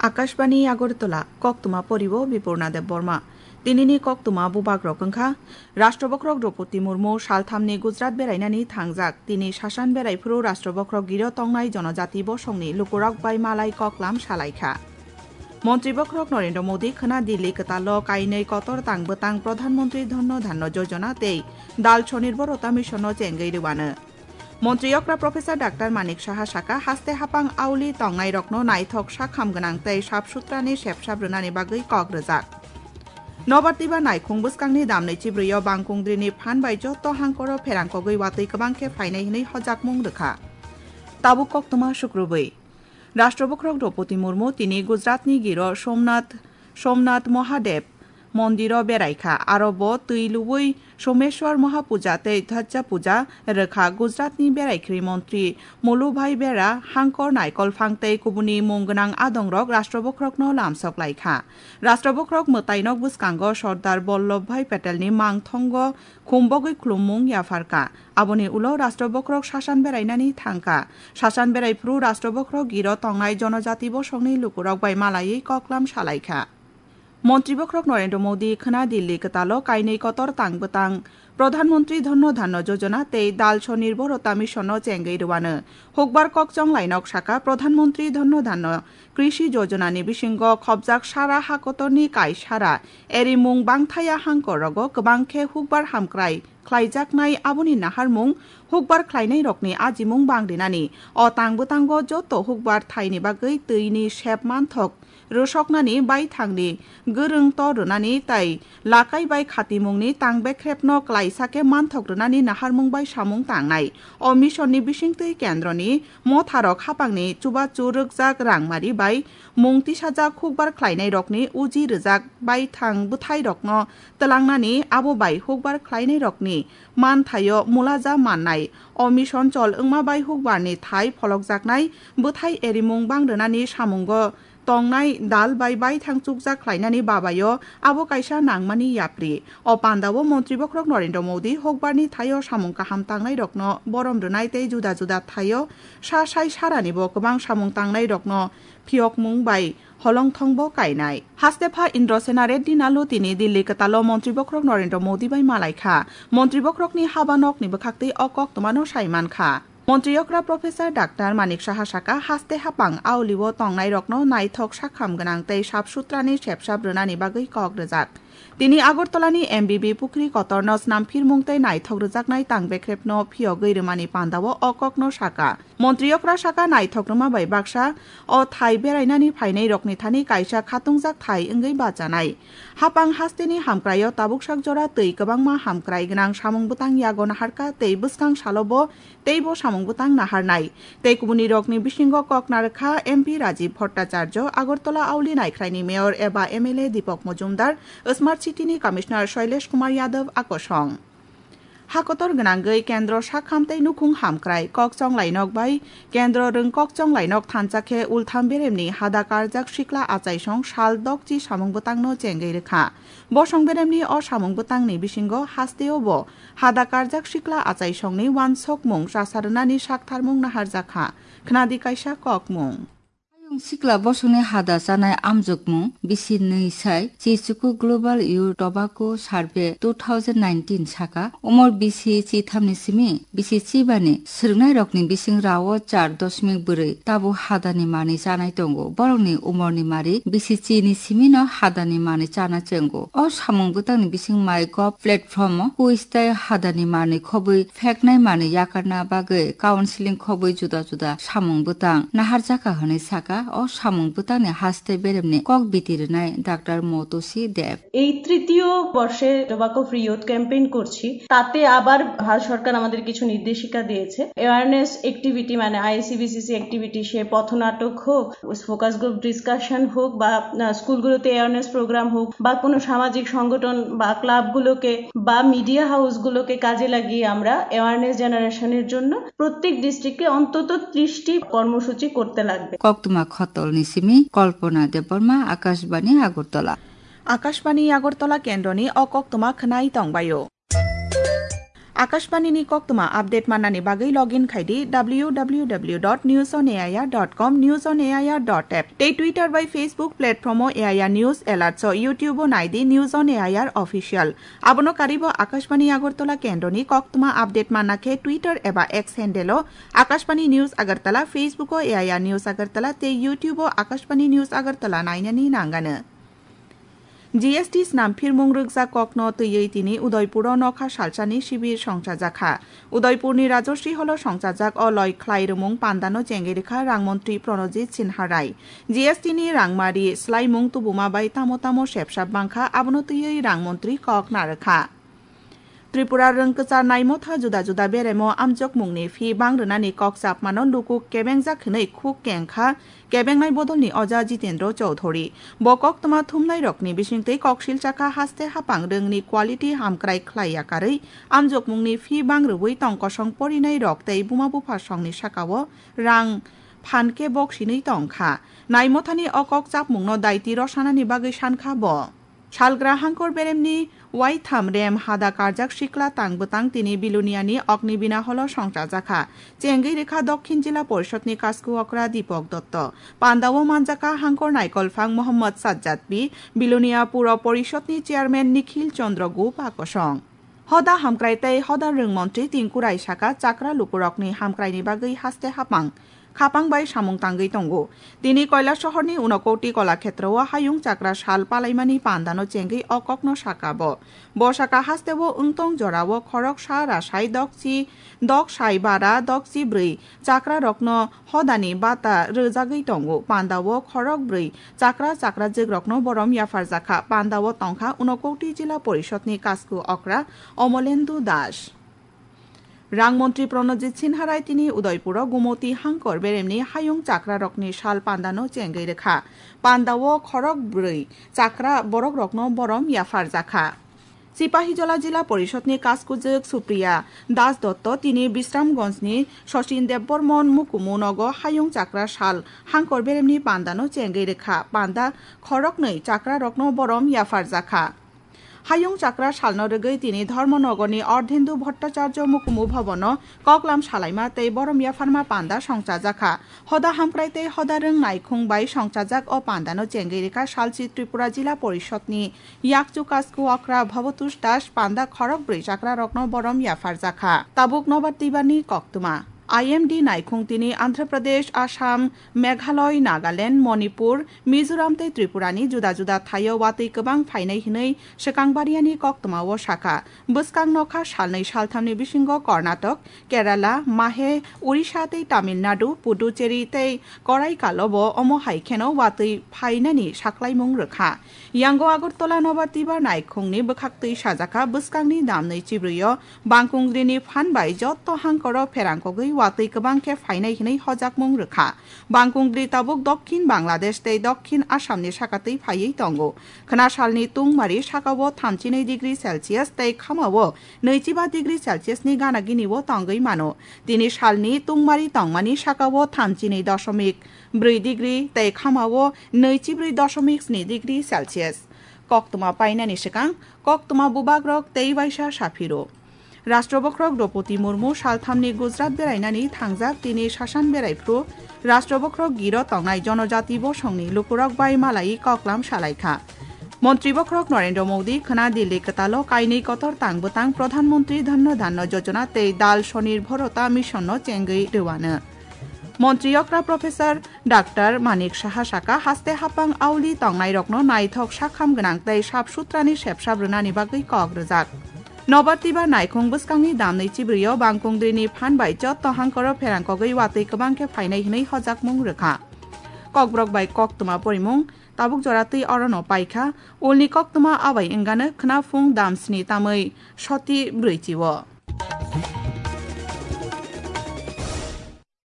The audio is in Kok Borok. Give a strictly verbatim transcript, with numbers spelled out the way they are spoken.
Akashbani Agartala, koktwma poribo Bipurna Debbarma. Tinini koktwma bubagrok wngkha, Rashtrabokhrok Droupadi Murmu salthamni Gujarat berainani thangjak, tini sasan berai phuru Rashtrabokhrok giro tongnai jonojati bosongni lukurok bai malai koklam salaikha. Montri Bokhorok Narendra Modi khwna Delhi kwtalo kainwi kotor tang bwtang Pradhan Mantri Dhanno Dhanno Yojana tei Dal Sonirbhorta Mission no chengwi rwano. Montri okra Professor Doctor Manik Saha saka, haste hapang auli tongnairokno naithok sakham gwnang tei sap sutrani sepsap rwnani bagwi kok rwjak. Nobar twiba naikhung bwskangni damnwi chibrwi o bangkungdrini phan bai joto hangkoro pherangkogwi watwi kwbang khe phainai hwnwi hojakmung rwkha. Tabuk koktwma sukrubwi. Rashtrabokhrok Droupadi Murmu tini Gujaratni giro Somnath, Somnath Mahadev Mondiro beraikha. Aro bo twi lubui Someshwar Mahapuja tei Dhwajja Puja rwkha. Gujaratni beraikhri montri Mulubhai Bera hangkor naikol phang tei kubuni mung gwnang adongrok Rashtrabokhrokno lamsok laikha. Rashtrabokhrok mwtainok bwskango Sardar Vallabhbhai Patelni mangthongo khumbogwi khulummung yapharkha. Aboni ulo Rashtrabokhrok sasan berainani thangkha. Sasan berai phuru Rashtrabokhrok giro tongnai jonojati bosongni lukurok bai malaiwi koklam salaikha. Montri Bokhorok Narendra Modi khwna Delhi kwtalo kainwi kotor tang bwtang Pradhan Mantri Dhanno Dhanno Yojana tei Dal Sonirbhorta Mission no chengwi rwano. Hukbar kokchong lainok saka, Pradhan Mantri Dhanno Dhanno Krishi Yojana ni bisingo khopjak sara hakotorni kaisara erimung bangthaya hangkorogo kwbang khe hukbar hamkrai khlaijaknai. Aboni naharmung hukbar khlainairokni ajimung bang rinani. O tang bwtango joto hukbar thaini bagwi twini sep manthok rwsoknani, baithangni gwrwng tor rwnani tei lakai bai khatimungni tang bekrepno klaisa khe manthok rwnani naharmung bai samung tangnai. O mission ni bisingtwi kendroni motharok hapangni chubachu rwkjak rangmari bai mung tisajak hukbar khlainairokni uji rwjak baithang bwthairokno twlangnani, abo bai hukbar khlainairokni manthaio mulaja mannai. O mission chol wngma bai hukbarni thai pholokjaknai bwthai erimung bang rwnani samungo tongnai dal bai baithang chukjak khlainani babaio abo kaisa nangmani yapri. O pandao Montri Bokhorok Narendra Modi hukbarni thaio samung kaham tangnairokno borom rwnai tei juda juda thaio sa sai saranibo kwbang samung tangnairokno phiyokmung bai holongthongbo kainai. Hastepha Indrasena Reddy Nallu tini Delhi kwtalo Montri Bokhorok Narendra Modi bai malaikha. Montri Bokhorokni haba nokni bwkhaktwi o koktwmano sai mankha. Montri okra Professor Doctor Manik Saha saka, haste hapang aulio tongnairokno naithok sakham gwnang tei sap sutrani sepsap rwnani bagwi kok rwjak. Tini Agartalani M B B Pukhri kotorno snamphirmung tei naithok rwjaknai tang bekrepno phiyogwi rwmani pandao o kokno saka. Montri okra saka, naithok rwma bai baksa o thai berainani phainairokni thani kaisa khatungjak thai wngwi bachanai. Hapang hasteni hamkraio tabuksak jora twi kwbangma hamkrai gwnang samung bwtang yago naharkha tei bwskang salobo teibo samung bwtang naharnai. Tei kubunirokni bisingo kok narwkha M P Rajiv Bhattacharya, Agartala auli naikhraini Mayor eba M L A Deepak Majumdar, Smart City ni Commissioner Shailesh Kumar Yadav akosong. Hakotor gwnangwi kendro sakham tei nukhung hamkrai kokchong lainok bai kendro rwng kokchong lainok thansa khe Ultham beremni hada karjak sikla achaisong sal dokchi samung bwtangno chengwi rwkha. Bosong beremni o samung bwtangni bisingo hasteo bo hada karjak sikla achaisongni uansukmung chasa rwnani saktharmung naharjakha. Khnadi kaisa kokmung. Ayung sikla bosongni hada chanai amjokmung bisi nwi sai Chichuku Global Youth Tobacco Survey two thousand nineteen saka, umor bisi chithamni simi bisi chibani swrwngnairokni bising rao char dosmik bwrwi tabuk hadani manwi chanai tongo. Borokni umorni mari bisi chini simino hadani manwi chana chengo. O samung bwtangni bising MyGov platform-o quiz tei hadani manwi khobwi pheknai manwi yakarna bagwi counseling khobwi juda juda samung bwtang naharjakha hwnwi saka o samung bwtangni haste beremni kok biti rwnai Doctor Motosi Deb. এই তৃতীয় বর্ষে tobacco free youth campaign করছি। তাতে আবার ভারত সরকার আমাদের কিছু নির্দেশিকা দিয়েছে। অ্যাওয়ারনেস অ্যাক্টিভিটি, মানে আইএসসি বিসিসি অ্যাক্টিভিটি, সে পথনাটক হোক, ফোকাস গ্রুপ ডিসকাশন হোক, বা আহ, স্কুলগুলোতে অ্যাওয়ারনেস প্রোগ্রাম হোক, বা কোনো সামাজিক সংগঠন বা ক্লাবগুলোকে বা মিডিয়া হাউসগুলোকে কাজে লাগিয়ে আমরা অ্যাওয়ারনেস জেনারেশনের জন্য প্রত্যেক ডিস্ট্রিক্টে অন্তত ত্রিশটি কর্মসূচি করতে লাগবে। Koktwma khotolni simi Kalpana Debbarma, Akashbani Agartala. Akashbani Agartala kendroni o koktwma khwnai tongbaio. Akashbani ni koktwma update mannani bagwi login khai di W W W dot news on A I R dot com, news on A I R dot app tei Twitter bai Facebook platform o A I R News Alerts o, YouTube o nai di News on A I R Official. Abono karwi bo Akashbani Agartala kendroni koktwma update manna khe Twitter eba X handle o Akashbani News Agartala, Facebook o A I R News Agartala tei YouTube o Akashbani News Agartala nainani nangano. G S T snam phirmung rwkjak kokno twiwi tini Udaipuro nokha salsani sibir songchajakha. Udaipurni Rajasri Holo songchajak o loi khlai rwmung pandano chengwi rwkha rang montri Pranojit Sinha Rai. G S T ni rangmari swlaimung tubuma bai tamo tamo sepsap bangkha, abono twiwi rang montri kok narwkha. Tripura rwngkwchar naimotha juda juda beremo amjokmungni phi bang rwnani kok chapmano luku kebengjak hwnwi khuk kengkha kebengnai bodolni oja Jitendra Chowdhury. Bo koktwma thumnairokni bisingtwi koksil chakha haste hapang rwngni quality hamkrai khlai yakarwi amjokmungni phi bang rwui tong kosong porinairok tei buma bupha songni sakao rang phan khe bok sinwi tongkha. Naimothani o kok chapmungno daiti rw sanani bagwi sankha bo. Salgra hangkor beremni waitham rem hada karjak sikla tang bwtang tini Biluniani Ognibina Holo songchajakha. Chengwi rikha Dokhin Jila Porishotni Kasku Okra Dipok Dotto. Pandao manjakha hangkor naikolphang Mohammad Sajjad P, Bilunia Puro Porishotni Chairman Nikhil Chandra Gup akosong. Hoda hamkrai tei hoda rwng montri Tinku Rai saka chakra lukurokni hamkraini bagwi haste hapang khapang bai samung tangwi tongo. Tini Kailasahorni Unakoti Kolakhetrao hayung chakra sal palaimani pandano chengwi o kokno saka bo. Bo saka hasteo wngtong jorao khoroksa rasai dokchi, doksai bara dokchi bwrwi chakrarokno hodani bata rwjagwi tongo. Pandao khorok bwrwi chakra chakrajwkrokno borom yapharjakha. Pandao tongkha Unakoti Jila Porishotni Kasku Okra Omolendu Das. Rang montri Pranojit Sinha Rai tini Udaipuro Gumoti hangkor beremni hayung chakrarokni sal pandano chengwi rwkha. Pandao khorok bwrwi chakra borokrokno borom yapharjakha. Sipahijola Jila Porishotni Kaskujwk Supriya Das Dotto tini Bisramganjni Sachin Debbarman mukumu nogo hayung chakra sal hangkor beremni pandano chengwi rwkha. Panda khoroknwi chakrarokno borom yapharjakha. Hayung chakra salno rwgwi tini Dharmanagorni Ardhendu Bhattacharya Mukumu Bhabono koklam salaima tei borom yapharma panda songchajakha. Hoda hamkrai tei hoda rwng naikhung bai songchajak o pandano chengwi rikha salchi Tripura Jila Porishotni yakchu Kasku Okra Bhabatosh Das. Panda khorok bwrwi chakrarokno borom yapharjakha. Tabuk Nobar Twibarni koktwma. I M D naikhung tini Andhra Pradesh, Assam, Meghalaya, Nagaland, Manipur, Mizoram tei Tripurani juda juda thaio watwi kwbang phainai hwnwi swkang bariani koktwmao sakha. Bwskang nokha salnwi salthamni bisingo Karnataka, Kerala, Mahe, Odisha tei Tamil Nadu, Puducherry tei Karaikalobo omo hai kheno watwi phainani saklaimung rwkha. Yango Agartala Nobar Twibar naikhungni bwkhaktwi sajakha bwskangni damnwi chibrwio Bangkungdrini phan bai jotto hangkoro pherangkogwi watwi kwbang khe phainai hwnwi hojakmung rwkha. Bangkungdri tabuk Dokhin Bangladesh tei Dokhin Assamni sakatwi phaiwi tongo. Khwnasalni tungmari sakao thamchinwi degree Celsius tei khamao nwichiba degree Celsius ni gana gini o tongwi mano. Tini salni tungmari tongmani sakao thamchinwi dosomik bwrwi degree tei khamao nwichibrwi dosomik sni degree Celsius. Koktwma painani swkang koktwma bubagrok tei waisa saphiro. Rashtrabokhorok Droupadi Murmu salthamni Gujarat berainani thangjak tini sasan beraiphu. Rashtrabokhorok giro tongnai jonojati bosongni lukurok bai malai koklam salaikha. Montri bokhorok Narendra Modi khwna Delhi kwtalo kainwi kotor tang bwtang Pradhan Mantri Dhanno Dhanno Yojana tei Dal Sonirbharta Mission no chengwi rwano. Montri okra Professor Doctor Manik Saha saka haste hapang auli tongnairokno naithok sakham gwnang tei sap sutrani sepsap rwnani bagwi kok rwjak. Nobar Twibar naikhung bwskangni damnwi chibrwio Bangkungdrini phan bai jotto hangkoro pherangkogwi watwi kwbang khe phainai hwnwi hojakmung rwkha. Kokborok bai koktwma porimung tabuk jora twi orono paikha, ulni koktwma abai wngano khwna phung damsni tamwi soti brwichi o.